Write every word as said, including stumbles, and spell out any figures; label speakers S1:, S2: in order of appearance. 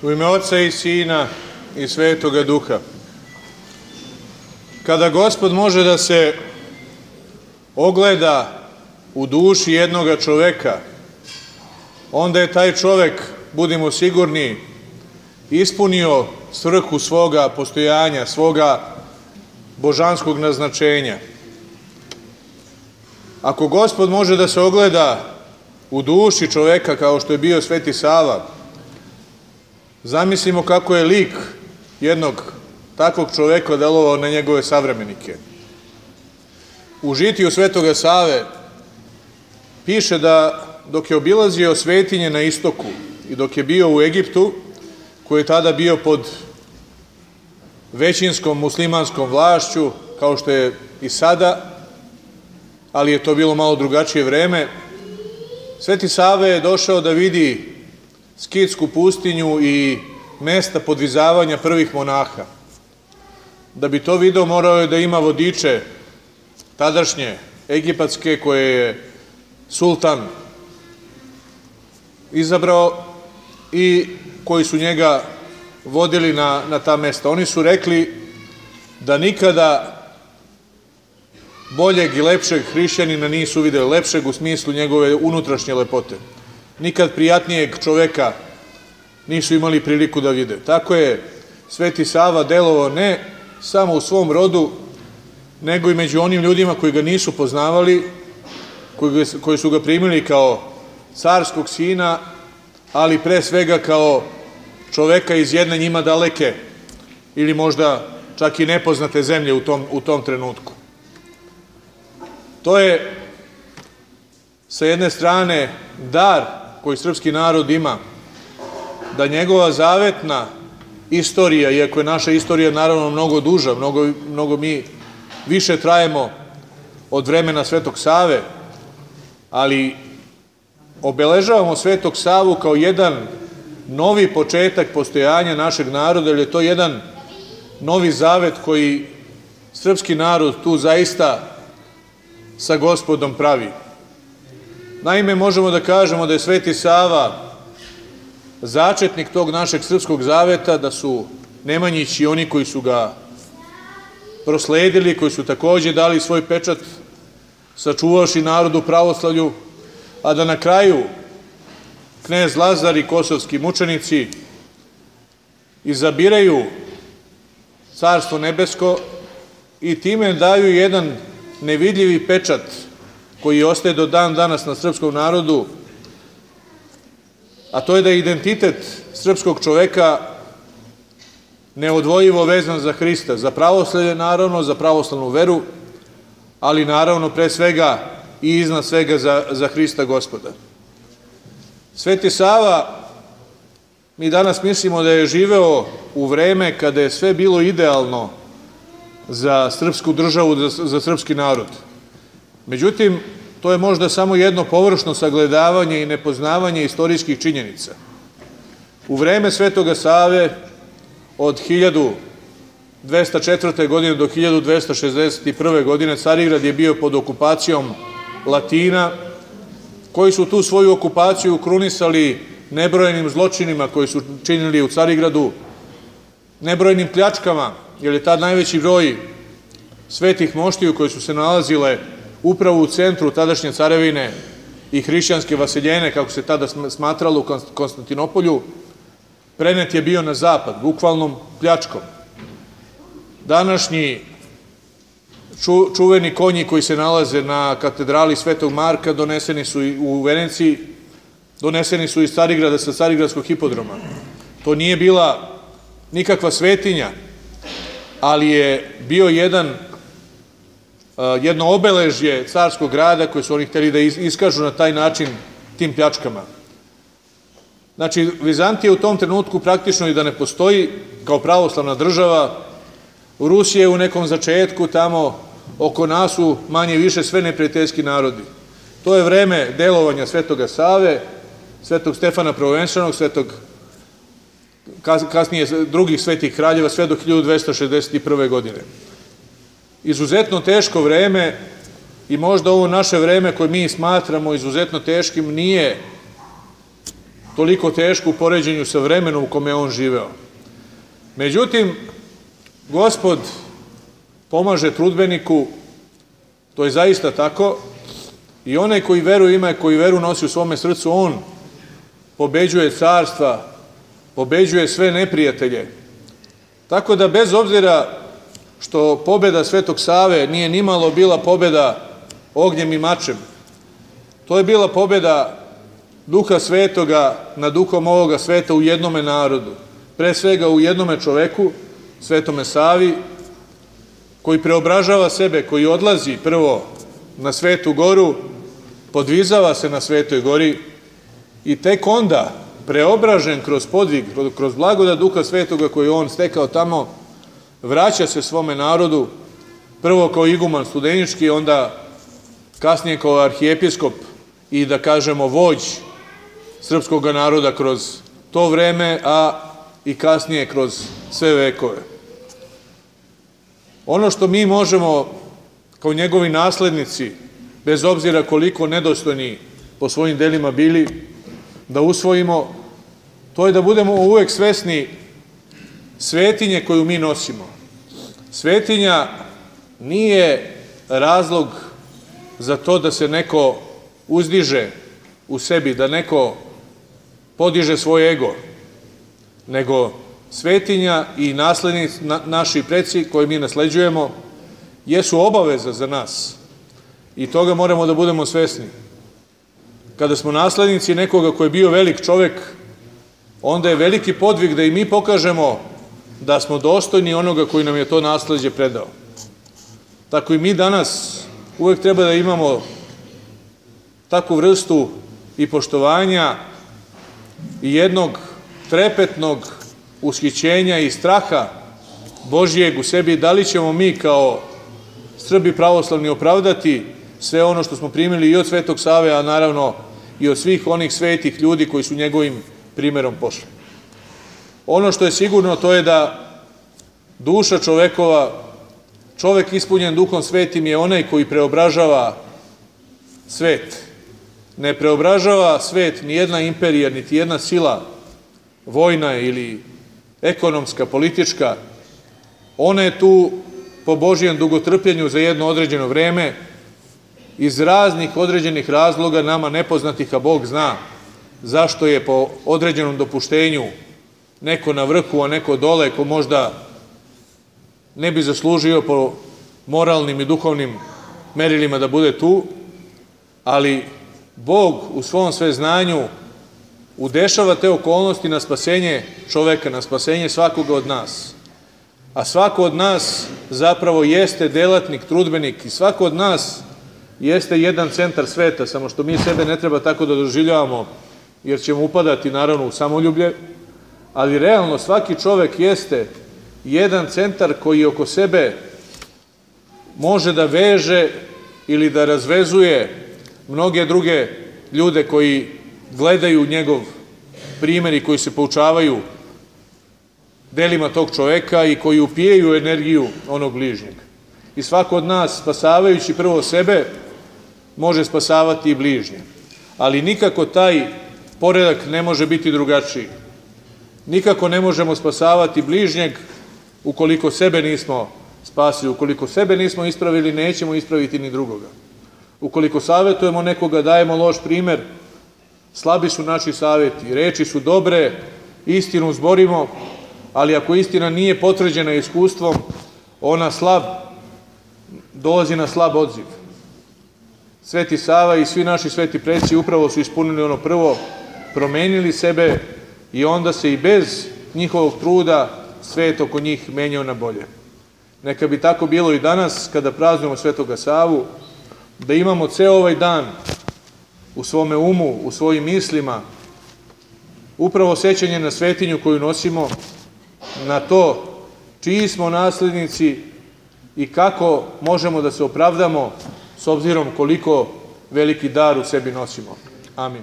S1: U ime Oca i Sina i Svetoga Duha. Kada Gospod može da se ogleda u duši jednoga čoveka, onda je taj čovek, budimo sigurni, ispunio svrhu svoga postojanja, svoga božanskog naznačenja. Ako Gospod može da se ogleda u duši čoveka kao što je bio Sveti Sava, zamislimo kako je lik jednog takvog čoveka delovao na njegove savremenike. U žitiju Svetoga Save piše da dok je obilazio svetinje na istoku i dok je bio u Egiptu, koji je tada bio pod većinskom muslimanskom vlašću, kao što je i sada, ali je to bilo malo drugačije vreme, Sveti Sava je došao da vidi Skitsku pustinju i mesta podvizavanja prvih monaha. Da bi to video, morao je da ima vodiče tadašnje egipatske koje je sultan izabrao i koji su njega vodili na, na ta mesta. Oni su rekli da nikada boljeg i lepšeg hrišćanina nisu videli, lepšeg u smislu njegove unutrašnje lepote. Nikad prijatnijeg čoveka nisu imali priliku da vide. Tako je Sveti Sava delovao ne samo u svom rodu, nego i među onim ljudima koji ga nisu poznavali, koji, ga, koji su ga primili kao carskog sina, ali pre svega kao čoveka iz jedne njima daleke ili možda čak i nepoznate zemlje u tom, u tom trenutku. To je sa jedne strane dar koji srpski narod ima, da njegova zavetna istorija, iako je naša istorija naravno mnogo duža, mnogo, mnogo mi više trajemo od vremena Svetog Save, ali obeležavamo Svetog Savu kao jedan novi početak postojanja našeg naroda, jer je to jedan novi zavet koji srpski narod tu zaista sa Gospodom pravi. Naime, možemo da kažemo da je Sveti Sava začetnik tog našeg srpskog zaveta, da su Nemanjić i oni koji su ga prosledili, koji su takođe dali svoj pečat, sačuvavši narodu pravoslavlju, a da na kraju knez Lazar i kosovski mučenici izabiraju Carstvo nebesko i time daju jedan nevidljivi pečat koji ostaje do dan danas na srpskom narodu, a to je da je identitet srpskog čoveka neodvojivo vezan za Hrista, za pravoslavlje naravno, za pravoslavnu veru, ali naravno pre svega i iznad svega za, za Hrista Gospoda. Sveti Sava, mi danas mislimo da je živeo u vreme kada je sve bilo idealno za srpsku državu, za, za srpski narod. Međutim, to je možda samo jedno površno sagledavanje i nepoznavanje istorijskih činjenica. U vreme Svetoga Save od hiljadu dvesta četvrte. godine do hiljadu dvesta šezdeset prve. godine Carigrad je bio pod okupacijom Latina, koji su tu svoju okupaciju krunisali nebrojenim zločinima koji su činili u Carigradu, nebrojenim pljačkama, jer je tad najveći broj svetih moštiju koje su se nalazile upravo u centru tadašnje carevine i hrišćanske vaseljene, kako se tada smatralo u Konstantinopolju, prenet je bio na zapad, bukvalnom pljačkom. Današnji ču, čuveni konji koji se nalaze na katedrali Svetog Marka doneseni su u Veneciji, doneseni su iz Carigrada sa Carigradskog hipodroma. To nije bila nikakva svetinja, ali je bio jedan jedno obeležje carskog grada koje su oni hteli da iskažu na taj način tim pljačkama. Znači, Vizantija u tom trenutku praktično i da ne postoji kao pravoslavna država. Rusija je u nekom začetku, tamo oko nas su manje više sve neprijateljski narodi. To je vreme delovanja Svetoga Save, Svetog Stefana Prvovenčanog, Svetog, kasnije drugih svetih kraljeva, sve do hiljadu dvesta šezdeset prve. godine. Izuzetno teško vreme i možda ovo naše vreme koje mi smatramo izuzetno teškim nije toliko teško u poređenju sa vremenom u kome je on živeo. Međutim, Gospod pomaže trudbeniku, to je zaista tako, i onaj koji veru ima i koji veru nosi u svome srcu, on pobeđuje carstva, pobeđuje sve neprijatelje. Tako da bez obzira što pobeda Svetog Save nije nimalo bila pobeda ognjem i mačem, to je bila pobeda Duha Svetoga nad duhom ovoga sveta u jednome narodu, pre svega u jednome čoveku, Svetome Savi, koji preobražava sebe, koji odlazi prvo na Svetu Goru, podvizava se na Svetoj Gori i tek onda, preobražen kroz podvig, kroz blagodat Duha Svetoga koji on stekao tamo, vraća se svome narodu, prvo kao iguman studenički, onda kasnije kao arhijepiskop i da kažemo vođ srpskog naroda kroz to vreme, a i kasnije kroz sve vekove. Ono što mi možemo kao njegovi naslednici, bez obzira koliko nedostojni po svojim delima bili, da usvojimo, to je da budemo uvek svesni svetinje koju mi nosimo. Svetinja nije razlog za to da se neko uzdiže u sebi, da neko podiže svoj ego, nego svetinja i naslednici, na, naši preci koje mi nasleđujemo, jesu obaveza za nas i toga moramo da budemo svesni. Kada smo naslednici nekoga koji je bio velik čovek, onda je veliki podvig da i mi pokažemo da smo dostojni onoga koji nam je to nasleđe predao. Tako i mi danas uvek treba da imamo takvu vrstu i poštovanja i jednog trepetnog ushićenja i straha Božijeg u sebi, da li ćemo mi kao Srbi pravoslavni opravdati sve ono što smo primili i od Svetog Save, a naravno i od svih onih svetih ljudi koji su njegovim primerom pošli. Ono što je sigurno, to je da duša čovekova, čovek ispunjen Duhom Svetim je onaj koji preobražava svet. Ne preobražava svet ni jedna imperija, niti jedna sila, vojna ili ekonomska, politička. Ona je tu po Božijem dugotrpljenju za jedno određeno vreme, iz raznih određenih razloga, nama nepoznatih, a Bog zna zašto je po određenom dopuštenju neko na vrhu, a neko dole, ko možda ne bi zaslužio po moralnim i duhovnim merilima da bude tu, ali Bog u svom sveznanju udešava te okolnosti na spasenje čoveka, na spasenje svakoga od nas. A svako od nas zapravo jeste delatnik, trudbenik i svako od nas jeste jedan centar sveta, samo što mi sebe ne treba tako da doživljavamo, jer ćemo upadati naravno u samoljublje, ali realno svaki čovek jeste jedan centar koji oko sebe može da veže ili da razvezuje mnoge druge ljude koji gledaju njegov primer i koji se poučavaju delima tog čoveka i koji upijaju energiju onog bližnjeg. I svako od nas, spasavajući prvo sebe, može spasavati i bližnje. Ali nikako taj poredak ne može biti drugačiji. Nikako ne možemo spasavati bližnjeg ukoliko sebe nismo spasili. Ukoliko sebe nismo ispravili, nećemo ispraviti ni drugoga. Ukoliko savjetujemo nekoga, dajemo loš primer, slabi su naši savjeti, reči su dobre, istinu zborimo, ali ako istina nije potvrđena iskustvom, ona slab, dolazi na slab odziv. Sveti Sava i svi naši sveti preci upravo su ispunili ono prvo, promenili sebe i onda se i bez njihovog truda svet oko njih menjao na bolje. Neka bi tako bilo i danas kada praznujemo Svetoga Savu, da imamo ceo ovaj dan u svome umu, u svojim mislima, upravo sećanje na svetinju koju nosimo, na to čiji smo naslednici i kako možemo da se opravdamo s obzirom koliko veliki dar u sebi nosimo. Amin.